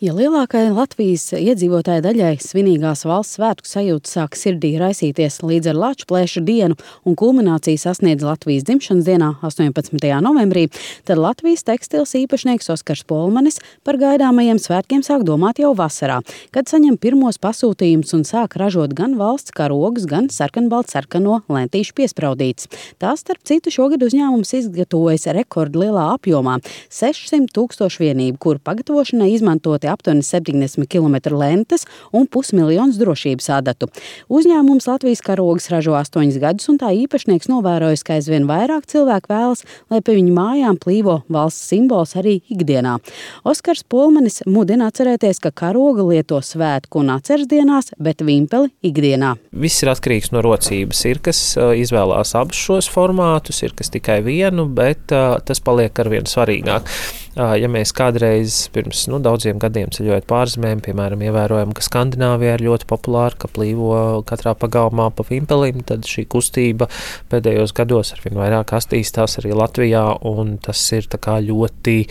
Ja lielākai Latvijas iedzīvotāju daļai svinīgās valsts svētku sajūta sāk sirdī raisīties līdz ar Lačplēša dienu un kulmināciju sasniedz Latvijas dzimšanas dienā 18. novembrī, tad Latvijas tekstils īpašnieks Oskars Polmanis par gaidāmajiem svētkiem sāk domāt jau vasarā, kad saņem pirmos pasūtījumus un sāk ražot gan valsts karogus, gan sarkanbaltsarkano lentīšu piespraudītes. Tās, starp citu, šogad uzņēmums izgatavojas rekordlielā apjomā – 600,000 vienību, kuru pagatavošanai izmantoti aptuveni 70 km lentes un 500 000 drošības adatu. Uzņēmums Latvijas karogus ražo 8 gadus, un tā īpašnieks novērojis, ka aizvien vairāk cilvēku vēlas, lai pie viņu mājām plīvo valsts simbols arī ikdienā. Oskars Polmanis mudina atcerēties, ka karoga lieto svētku un atceres dienās, bet vimpeli ikdienā. Viss ir atkarīgs no rocības. Ir, kas izvēlās abus šos formātus, ir, kas tikai vienu, bet tas paliek arvien svarīgāk. Ja mēs kādreiz pirms daudziem gadiem ceļojot pārzemēm, piemēram, ievērojam, ka Skandināvijā ir ļoti populāra, ka plīvo katrā pagalmā pa vimpelim, tad šī kustība pēdējos gados arvien vairāk attīstās arī Latvijā, un tas ir tā kā ļoti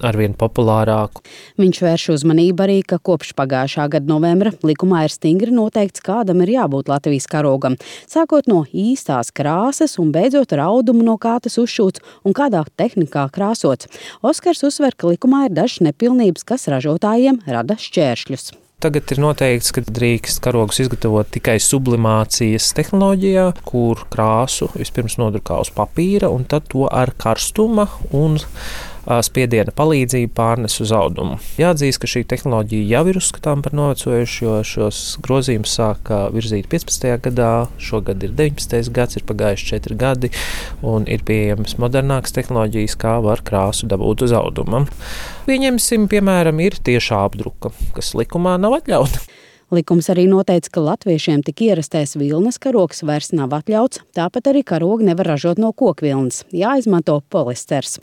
arvien populārāk. Viņš vērš uzmanību arī, ka kopš pagājušā gada novembra likumā ir stingri noteikts, kādam ir jābūt Latvijas karogam, sākot no īstās krāsas un beidzot ar audumu, no kā tas uzšūts un kādā tehnikā krāsots. Oskars uzsver, ka likumā ir dažas nepilnības, kas ražotājiem rada šķēršļus. Tagad ir noteikts, ka drīkst karogus izgatavot tikai sublimācijas tehnoloģijā, kur krāsu vispirms nodrukā uz papīra un tad to ar karstuma un spiediena palīdzību pārnes uz audumu. Jāatzīst, ka šī tehnoloģija jau ir uzskatām par novecojušu, jo šos grozījumus sāka virzīt 15. gadā, šogad ir 19. gads, ir pagājuši 4 gadi, un ir pieejamas modernākas tehnoloģijas, kā var krāsu dabūt uz auduma. Pieņemsim, piemēram, ir tiešā apdruka, kas likumā nav atļauta. Likums arī noteica, ka latviešiem tik ierastais vilnas karogs vairs nav atļauts, tāpat arī karogi nevar ražot no kokvilnas, jāizmanto polisters.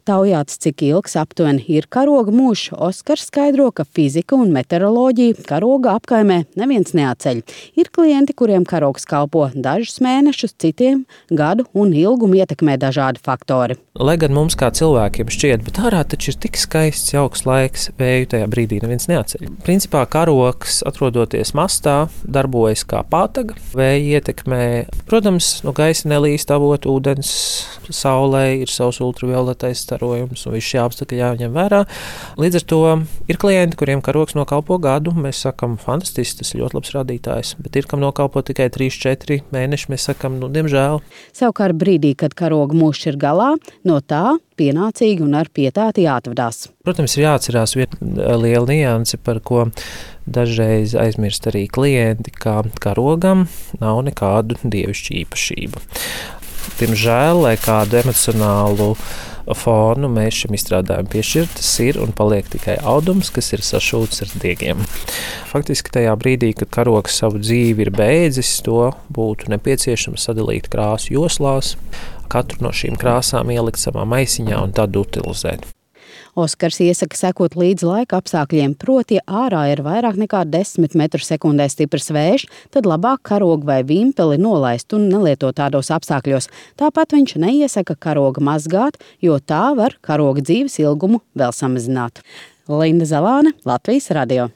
Taujāts, cik ilgs aptuveni ir karoga mūžs, Oskars skaidro, ka fizika un meteoroloģija karoga apkaimē neviens neatceļ. Ir klienti, kuriem karogs kalpo dažus mēnešus, citiem gadu un ilgumu ietekmē dažādi faktori. Lai gan mums kā cilvēkiem šķiet, bet ārā taču ir tik skaists, jauks laiks, vēju tajā brīdī neviens neatceļ. Principā karogs, atrodoties mastā, darbojas kā pātaga, vēja ietekmē. Protams, no gaisa nelīst avot ūdens, saulē ir savs ultravioletais starojums un viss šie apstākļi jāņem vērā. Līdz ar to ir klienti, kuriem karogs nokalpo gadu, mēs sakam, fantastiski, tas ir ļoti labs rādītājs, bet ir, kam nokalpo tikai 3-4 mēneši, mēs sakam, diemžēl. Savukārt brīdī, kad karoga mūžs ir galā, no tā pienācīgi un ar pietāti jāatvadās. Protams, ir jāatcerās viena liela nianse, par ko dažreiz aizmirst arī klienti, ka karogam nav nekādu dievišķu īpašību. Diemžēl, lai kādu emocionālu fonu mēs šim izstrādājumam piešķirt, tas ir un paliek tikai audums, kas ir sašūts ar diegiem. Faktiski tajā brīdī, kad karogs savu dzīvi ir beidzis, to būtu nepieciešams sadalīt krāsu joslās, katru no šīm krāsām ielikt savā maisiņā un tad utilizēt. Oskars iesaka sekot līdz laika apstākļiem, proti ārā ir vairāk nekā 10 m/sekundē stiprs vējš, tad labāk karogu vai vimpeli nolaist un nelietot tādos apstākļos. Tāpat viņš neiesaka karoga mazgāt, jo tā var karoga dzīves ilgumu vēl samazināt. Linda Zalāne, Latvijas radio.